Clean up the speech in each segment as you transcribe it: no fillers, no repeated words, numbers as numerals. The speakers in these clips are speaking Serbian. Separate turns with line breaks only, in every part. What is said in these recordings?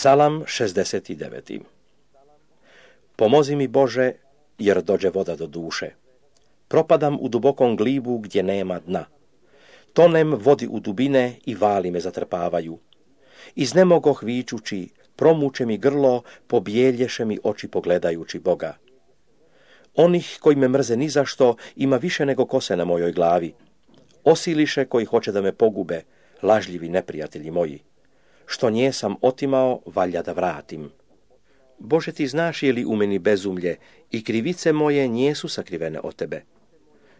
Psalam 69. Pomozi mi Bože, jer dođe voda do duše. Propadam u dubokom glibu gdje nema dna. Tonem vodi u dubine i vali me zatrpavaju. Iznemogoh vičući, promuče mi grlo, pobjelješe mi oči pogledajući Boga. Onih koji me mrze nizašto ima više nego kose na mojoj glavi. Osiliše koji hoće da me pogube, lažljivi neprijatelji moji. Što nje sam otimao, valja da vratim. Bože, ti znaš je li u meni bezumlje i krivice moje nijesu sakrivene od tebe.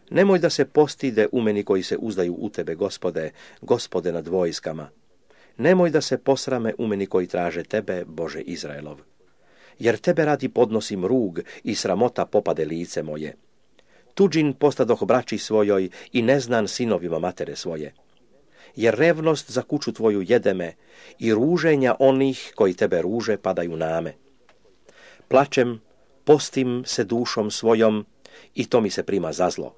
Nemoj da se postide u meni koji se uzdaju u tebe, Gospode, Gospode nad vojskama. Nemoj da se posrame u meni koji traže tebe, Bože Izraelov. Jer tebe radi podnosim rug i sramota popade lice moje. Tuđin postadoh braći svojoj i neznan sinovima matere svoje. Jer revnost za kuću tvoju jede me i ruženja onih koji tebe ruže padaju name. Plačem, postim se dušom svojom i to mi se prima za zlo.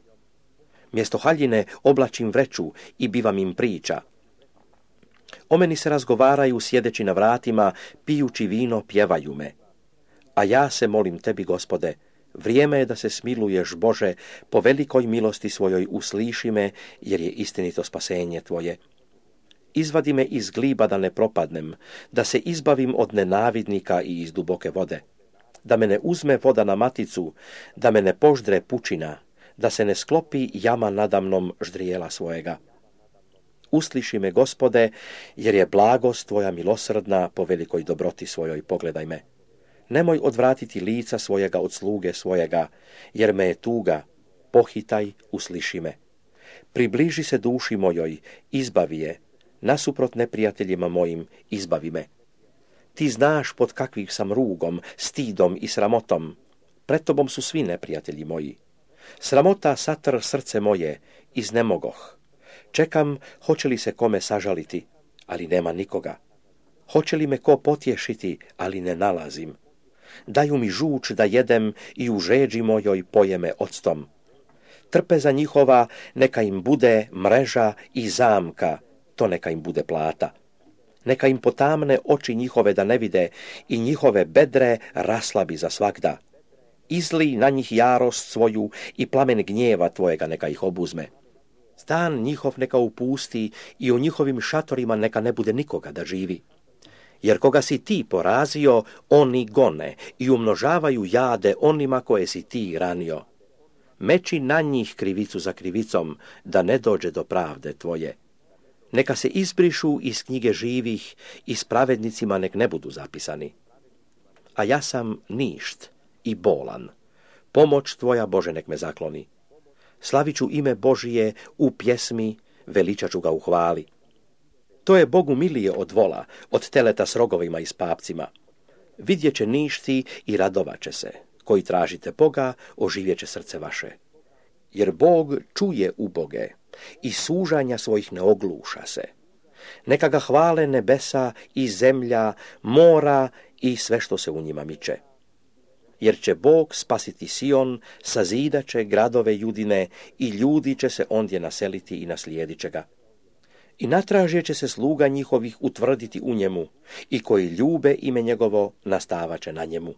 Mjesto haljine oblačim vreću i bivam im priča. O meni se razgovaraju sjedeći na vratima, pijući vino pjevaju me. A ja se molim tebi, Gospode, vrijeme je da se smiluješ, Bože, po velikoj milosti svojoj usliši me, jer je istinito spasenje tvoje. Izvadi me iz gliba da ne propadnem, da se izbavim od nenavidnika i iz duboke vode. Da me ne uzme voda na maticu, da me ne poždre pučina, da se ne sklopi jama nadamnom ždrijela svojega. Usliši me, Gospode, jer je blagost tvoja milosrdna, po velikoj dobroti svojoj pogledaj me. Nemoj odvratiti lica svojega od sluge svojega, jer me je tuga, pohitaj, usliši me. Približi se duši mojoj, izbavi je, nasuprot neprijateljima mojim, izbavi me. Ti znaš pod kakvih sam rugom, stidom i sramotom. Pred tobom su svi neprijatelji moji. Sramota satr srce moje, iznemogoh. Čekam, hoće li se kome sažaliti, ali nema nikoga. Hoće li me ko potješiti, ali ne nalazim. Daju mi žuč da jedem i u žeđi mojoj poje me octom. Trpeza njihova neka im bude mreža i zamka, to neka im bude plata. Neka im potamne oči njihove da ne vide i njihove bedre raslabi za svagda. Izli na njih jarost svoju i plamen gnjeva tvojega neka ih obuzme. Stan njihov neka upusti i u njihovim šatorima neka ne bude nikoga da živi. Jer koga si ti porazio, oni gone i umnožavaju jade onima koje si ti ranio. Meči na njih krivicu za krivicom, da ne dođe do pravde tvoje. Neka se izbrišu iz knjige živih i s pravednicima nek ne budu zapisani. A ja sam ništ i bolan. Pomoć tvoja, Bože, nek me zakloni. Slaviću ime Božije u pjesmi, veličaću ga u hvali. To je Bogu milije od vola, od teleta s rogovima i s papcima. Vidjet će ništi i radovaće se. Koji tražite Boga, oživjet će srce vaše. Jer Bog čuje uboge i sužanja svojih ne ogluša se. Neka ga hvale nebesa i zemlja, mora i sve što se u njima miče. Jer će Bog spasiti Sion, sazidat će gradove Judine i ljudi će se ondje naseliti i naslijedit će ga. I natražje će se sluga njihovih utvrditi u njemu i koji ljube ime njegovo nastavat će na njemu.